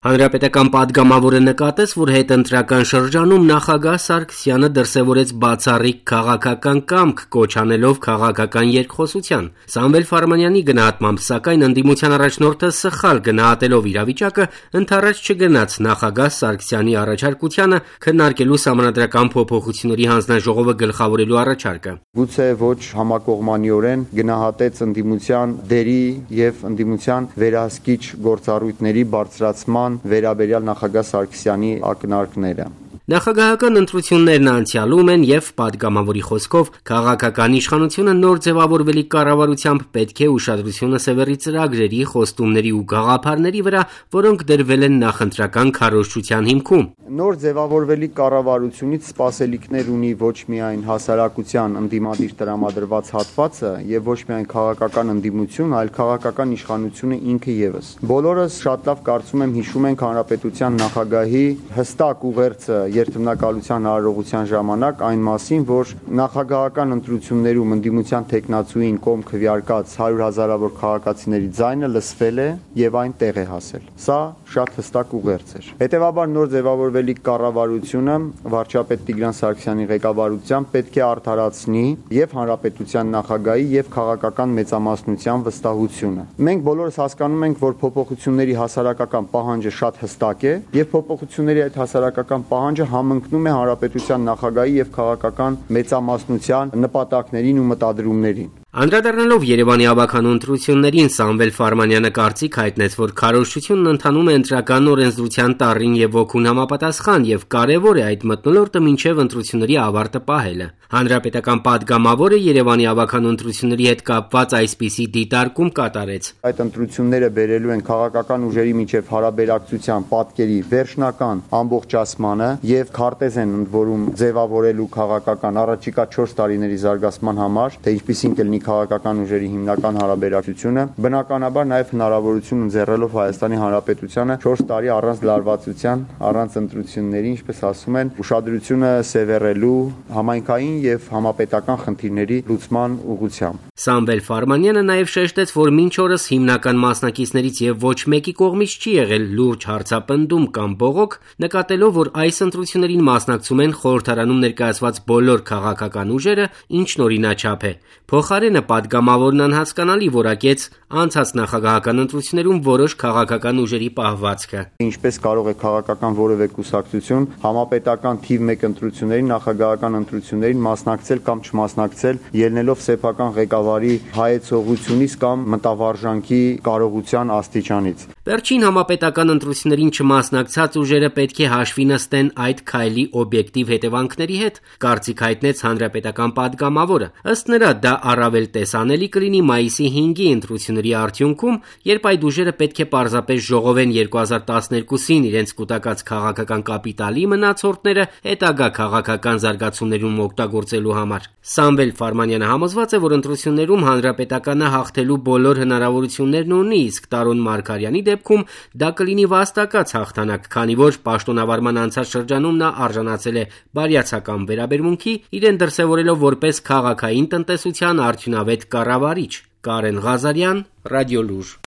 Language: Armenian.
Հանրապետական պատգամավորը նկատեց, որ հետընտրական շրջանում նախագահ Սարգսյանը դրսևորեց բացառիկ քաղաքական կամք, կոչ անելով քաղաքական երկխոսության։ Սամվել Ֆարմանյանի գնահատմամբ, սակայն ընդդիմության առաջնորդը սխալ գնահատելով իրավիճակը, ընդառաջ չգնաց նախագահ Սարգսյանի առաջարկությանը քննարկելու Սահմանադրական փոփոխությունների հանձնաժողովը գլխավորելու առաջարկը։ Գուցե ոչ համակողմանիորեն գնահատեց ընդդիմության դերի եւ ընդդիմության վերահսկիչ գործառույթների բարձրացման վերաբերյալ նախագահ Սարգսյանի ակնարկները։ Նախագահական ընտրություններն անցյալում են եւ պատգամավորի խոսքով քաղաքական իշխանությունը նոր ձևավորվելիք կառավարությամբ պետք է ուշադրությունը սևեռի ծրագրերի, խոստումների ու գաղափարների վրա, որոնք դրվել են նախընտրական քարոզչության հիմքում։ Նոր ձևավորվելիք կառավարությունից սպասելիքներ ունի ոչ միայն հասարակության ընդդիմադիր տրամադրված հատվածը եւ ոչ միայն քաղաքական ընդդիմություն, այլ քաղաքական իշխանությունը ինքը եւս։ Բոլորս շատ լավ կարծում եմ հիշում ենք հանրապետության նախագահի հստակ ուղերձը երթմնակալության հարողության ժամանակ այն մասին, որ նախագահական ընտրություններում ընդդիմության տեխնացուին կողմ քվեարկած 100 հազարավոր քաղաքացիների ձայնը լսվել է եւ այն տեղ է հասել։ Սա շատ հստակ ուղերձ էր։ Հետևաբար նոր ձևավորվելիք կառավարությունը վարչապետ Տիգրան Սարգսյանի ղեկավարությամբ պետք է արդարացնի եւ հանրապետության նախագահի եւ քաղաքական մեծամասնության վստահությունը։ Մենք բոլորս հասկանում ենք, որ փոփոխությունների հասարակական պահանջը շատ հստակ է եւ փոփոխությունների այդ հասարակական պահանջը համընկնում է հանրապետության նախագահի եւ քաղաքական մեծամասնության նպատակներին ու մտադրումներին։ Անդրադառնալով Երևանի ավագանու ընտրություններին, Սամվել Ֆարմանյանը կարծիք հայտնեց, որ քարոզչությունն ընթանում է ընտրական օրենսդրության տառին եւ ոգուն համապատասխան եւ կարեւոր է այդ մթնոլորտը մինչեւ ընտրությունների ավարտը պահելը։ Հանրապետական պատգամավորը Երևանի ավագանու ընտրությունների հետ կապված այսպիսի դիտարկում կատարեց։ Այդ ընտրությունները բերելու են քաղաքական ուժերի միջև հարաբերակցության պատկերի վերջնական ամբողջացմանը եւ քարտեզ են ընդ որում ձևավորելու քաղաքական առաջիկա 4 տարիների զարգացման համար, թե ինչպիսին կլինի քաղաքական ուժերի հիմնական հարաբերակցությունը, բնականաբար նաև հնարավորություն ընձեռելով Հայաստանի Հանրապետությանը 4 տարի առանց լարվածության, առանց ընտրությունների, ինչպես ասում են, ուշադրությունը սևեռելու համայնքային եւ համապետական խնդիրների լուծման ուղղությամբ։ Սամվել Ֆարմանյանը նաև շեշտեց, որ մինչ օրս հիմնական մասնակիցներից եւ ոչ մեկի կողմից չի եղել լուրջ հարցապնդում կամ բողոք, նկատելով, որ այս ընտրություններին մասնակցում են խորհրդարանում ներկայացված բոլոր քաղաքական ուժերը, ինչն օրինաչափ է։ Փոխարենը պատգամավորն անհասկանալի որակեց անցած նախագահական ընտրություններում որոշ քաղաքական ուժերի պահվածքը։ Ինչպես կարող է քաղաքական որևէ կուսակցություն համապետական թիվ 1 ընտրություններին, նախագահական ընտրություններին մասնակցել կամ չմասնակցել, ելնելով սեփական ղեկավարի հայեցողությունից կամ մտավարժանքի կարողության աստիճանից։ Վերջին համապետական ընտրություններին չմասնակցած ուժերը պետք է հաշվի նստեն այդ քայլի օբյեկտիվ հետևանքների հետ, կարծիք հայտնեց հանրապետական պատգամավորը։ Ըստ նրա, դա առավել տեսանելի կլինի մայիսի 5-ի ընտրությունների արդյունքում, երբ այդ ուժերը պետք է պարզապես ժողովեն 2012-ին իրենց կուտակած քաղաքական կապիտալի մնացորդները հետագա քաղաքական զարգացումներում օգտագործելու համար։ Սամվել Ֆարմանյանը համոզված է, որ ընտրություններում հանրապետականը հաղթելու բոլոր հնարավորություններն ունի, իսկ Տարոն Մարգարյանի դեպքում դա կլինի վաստակած հաղթանակ, քանի որ պաշտոնավարման անցած շրջանում նա արժանացել է բարյացակամ վերաբերմունքի, իրեն դրսևորելով որպես քաղաքային տնտեսության արդյունավետ կառավարիչ։ Կարեն Ղազարյան, Ռադիոլուր։